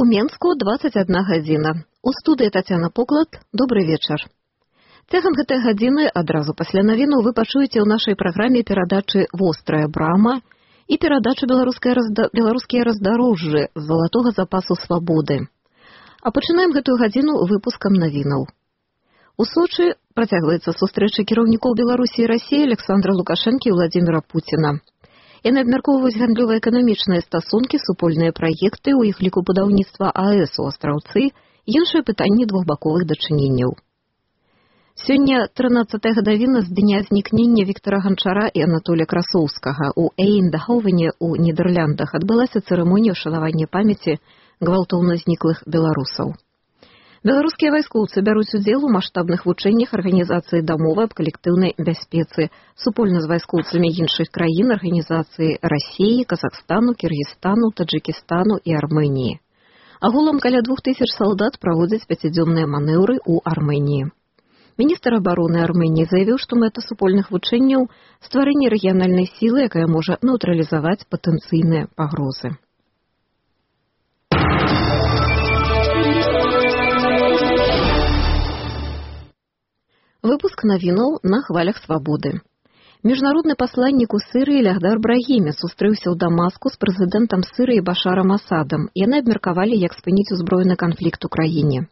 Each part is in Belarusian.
У Менску 21 гадзіна. У студыі Тацяна Поклад. Добры вечар. Цягам гэтай гадзіны адразу пасля навіну вы пачуеце ў нашай праграме перадачы «Вострая брама» і перадачу «Беларускія раздарожжы» з залатога запасу свабоды. А пачынаем гэтую гадзіну выпускам навінаў. У Сочы працягваецца сустрэча кіраўнікоў Беларусі і Расіі Александра Лукашэнкі і Владзіміра Пуціна. Яны абмяркоўваюць гандлёва-эканамічныя стасункі, супольныя праекты, у іх ліку будаўніцтва АЭС у Астраўцы і іншыя пытанні двухбаковых дачыненняў. Сёння 13-я гадавіна з дня знікнення Віктара Ганчара і Анатолія Красоўскага. У Эйндховене у Нідерландах адбылася цырымонія ўшанавання памяці гвалтоўна зніклых беларусаў. Беларускія вайскоўцы бяруць удзел у маштабных вучэннях Арганізацыі дамовы аб калектыўнай бяспецы супольна з вайскоўцамі іншых краін Арганізацыі Расіі, Казахстану, Кіргізстану, Таджыкістану і Арменіі. Агулам каля 2000 салдат праводзяць 5-дзённыя манеўры ў Арменіі. Міністр абароны Арменіі заявіў, што мэта супольных вучэнняў – стварэнне рэгіянальнай сілы, якая можа нейтралізаваць патэнцыйныя пагрозы. Выпуск навінаў на хвалях свабоды. Міжнародны пасланнік у Сырыі Лягдар Брагіме сустрэўся ў Дамаску з прэзідэнтам Сырыі Башарам Асадам. Яны абмеркавалі, як спыніць узброены канфлікт у краіне.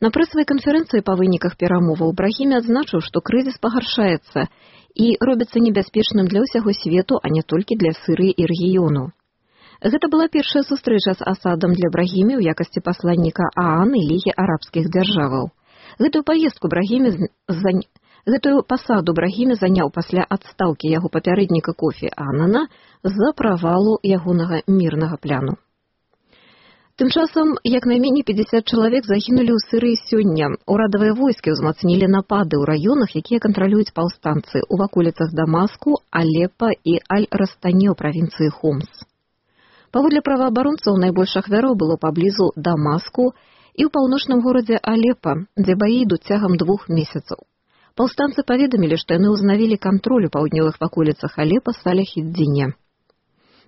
На прэсавай канферэнцыі па выніках перамоваў Брагіме адзначыў, што крызіс пагаршаецца і робіцца небяспечным для ўсяго свету, а не толькі для Сырыі і рэгіёну. Гэта была першая сустрэча з Асадам для Брагіме ў якасці пасланніка ААН і Лігі арабскіх дзяржаваў. Гэтую пасаду Брагіме заняў пасля адстаўкі яго папярэдніка Кофі Аннана з-за правалу ягонага мірнага пляну. Тым часам, як найменей 50 чалавек загінулі ў Сырыі сёння. Урадавыя войскі ўзмацнілі напады ў раёнах, якія кантралююць паўстанцы ў ваколіцах Дамаску, Алепа і Аль-Растані ў правінцыі Хомс. Паводле праваабаронцаў, найбольш ахвяраў было паблізу Дамаску і ў паўночным горадзе Алепа, дзе баі ідуць цягам 2 месяцаў. Паўстанцы паведамілі, што яны ўзнавілі кантроль у паўднёвых ваколіцах Алепа, Салях-ід-Дзіне.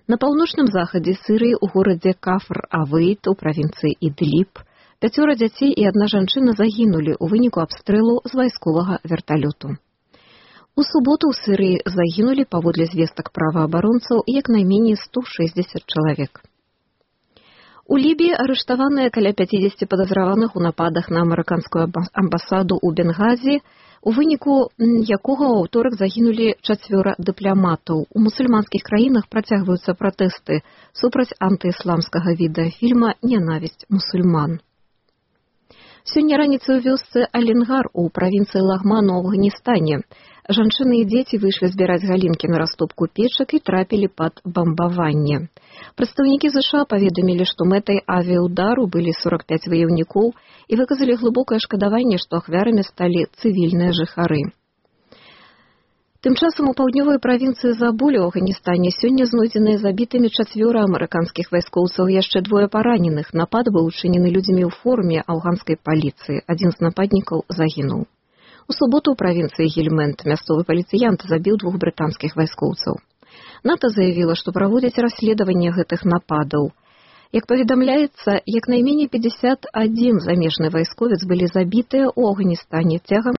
На паўночным захадзе Сырыі ў горадзе Кафр-Авейт у правінцыі Ідліб 5 дзяцей і 1 жанчына загінулі ў выніку абстрэлу з вайсковага верталёту. У суботу ў Сырыі загінулі, паводле звестак праваабаронцаў, як найменей 160 чалавек. У Лібіі арыштаваныя каля 50 падазраваных у нападах на амерыканскую амбасаду ў Бенгазі, у выніку якога ў аўторак загінулі 4 дыпламатаў. У мусульманскіх краінах працягваюцца пратэсты супраць антыісламскага відэафільма «Нянавісць мусульман». Сёння раніцай у вёсцы Аленгар у правінцыі Лагман у Афганістане жанчыны і дзеці выйшлі збіраць галінкі на растопку печак і трапілі пад бамбаванне. Прадстаўнікі ЗША паведамілі, што мэтай авіяудару былі 45 ваяўнікоў і выказалі глыбокае шкадаванне, што ахвярамі сталі цывільныя жыхары. Тым часам у паўднёвай правінцыі Забулі ў Афганістане сёння знойдзеныя забітымі 4 амерыканскіх вайскоўцаў, яшчэ 2 параненых. Напад быў учынены людзьмі ў форме афганскай паліцыі. Адзін з нападнікаў загінуў. У суботу ў правінцыі Гельмэнд мясцовы паліцыянт забіў 2 брытанскіх вайскоўцаў. НАТО заявіла, што праводзяць расследаванне гэтых нападаў. Як паведамляецца, як найменей 51 замежны вайсковец былі забітыя ў Афганістане цягам